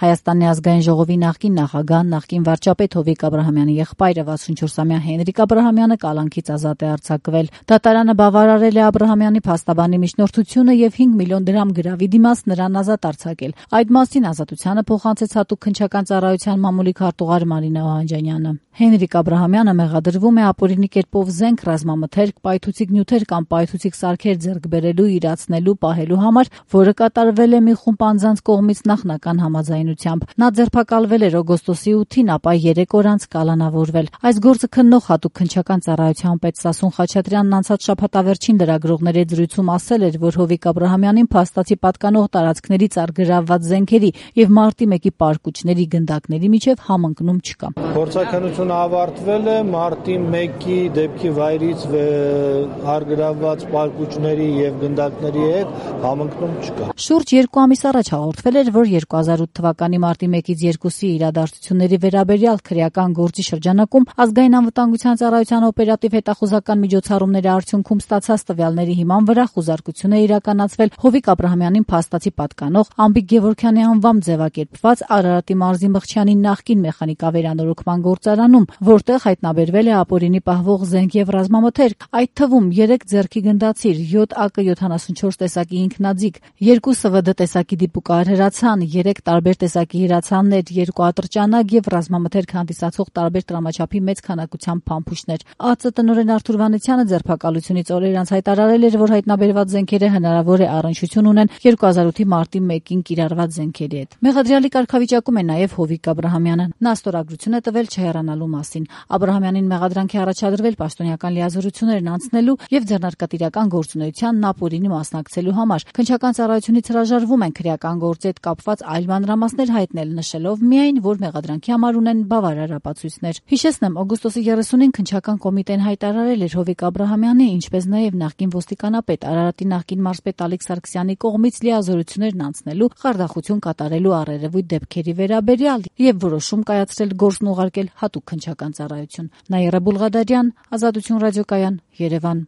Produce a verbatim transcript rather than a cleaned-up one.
Հայաստանի ազգային ժողովի նախկին նախագահ, նախկին վարչապետ Հովիկ Աբրահամյանի եղբայրը վաթսունչորսամյա Հենրիկ Աբրահամյանը կալանքից ազատ է արձակվել։ Դատարանը բավարարել է Աբրահամյանի փաստաբանի միջնորդությունը եւ հինգ միլիոն դրամ գրավի դիմաց նրան ազատ արձակել։ Այդ մասին ազատությանը փոխանցեց հատուկ քննչական ծառայության մամուլի քարտուղար Մարինա Օհանջանյանը։ Հենրիկ Աբրահամյանը մեղադրվում է ապօրինի կերպով զենք, ռազմամթերք, պայթուցիկ նյութեր կամ պայթուցիկ սարքեր ձեռք բերելու, իրացնելու, պահելու համար, որը կատարվել է մի խումբ անձանց կողմից նախնական համաձայնությամբ։ Նա ձերբակալվել էր օգոստոսի ութին, ապա երեք օր անց կալանավորվել։ Այս գործը քննող հատուկ քննչական ծառայության պետ Սասուն Խաչատրյանն անցած շաբաթավերջին լրագրողների զրույցում ասել էր, որ Հովիկ Աբրահամյանին փաստացի պատկանող տարածքներից առգրավված զենքերի եւ մարտի մեկի պարկուճների գնդակների միջև համընկնում չկա։ Փորձաքննությունը ավարտվել է, մարտի մեկի դեպքի վայրից առգրավված պարկուճների եւ գնդակների հետ համընկնում չկա։ Շուրջ երկու ամիս առաջ հաղորդվել էր, որ երկու հազար ութ թվականի մարտի մեկից երկուսի իրադարձությունների վերաբերյալ քրեական գործի շրջանակում ազգային անվտանգության ծառայության օպերատիվ հետախուզական միջոցառումների արդյունքում ստացած տվյալների հիման վրա խուզարկություն է իրականացվել Հովիկ Աբրահամյանին փաստացի պատկանող Ամբիկ Գևորգյանի անվամբ ձևակերպված Արարատի մարզի Մղչյանի նախկին մեխանիկավերանորոգման գործարանում, որտեղ հայտնաբերվել է ապօրինի պահվող զենք եւ ռազմամթերք, այդ թվում երեք ձեռքի գնդացիր, յոթ ա կը յոթանասունչորս տեսակի ինքնաձիգ, երկու Ս V D տեսակի դիպուկահար հրացան, երեք տարբեր տեսակի հրացաններ, երկու ատրճանակ եւ ռազմամթերք հանդիսացող տարբեր տրամաչափի մեծ քանակությամբ փամփուշտներ։ ԱԾ տնօրեն Արթուր Վանեցյանը ձերբակալությունից օրեր անց հայտարարել էր, որ հայտնաբերված զենքերը հնարավոր է առնչություն ունեն երկու հազար ութի մարտի մեկին կիրառված զենքերի հետ։ Մեղադրյալի կարգավիճակում է նաեւ Հովիկ Աբրահամյանը։ Նա ստորագրություն է տվել չհեռանալու մասին։ Աբրահամյանին մեղադրանքի առաջադրվել պաշտոնյական լիազորություններն անցնելու եւ ձեռնարկատիրական գործունեությանն ապօրինի մասնակցելու համար։ Քննչական ծառայությունից հրաժարվում են քրեական գործի հետ կապված այլ մանրամասներ հայտնել, նշելով միայն, որ մեղադրանքի համար ունեն բավարար ապացույցներ։ Հիշեցնեմ, օգոստոսի երեսունին քննչական կոմիտեն հայտարարել էր Հովիկ Աբրահամյանի, ինչպես նաեւ նախկին ոստիկանապետ Արարատի նախկին մարզպետ Ալիկ Սարգսյանի կողմից լիազորություններն անցնելու, խարդախություն կատարելու առերևույթ դեպքերի վերաբերյալ եւ որոշում կայացրել գործն ուղարկել հատուկ քննչական ծառայություն։ Նաիրա Բուլղադարյան, Ազատություն ռադիոկայան, Երևան։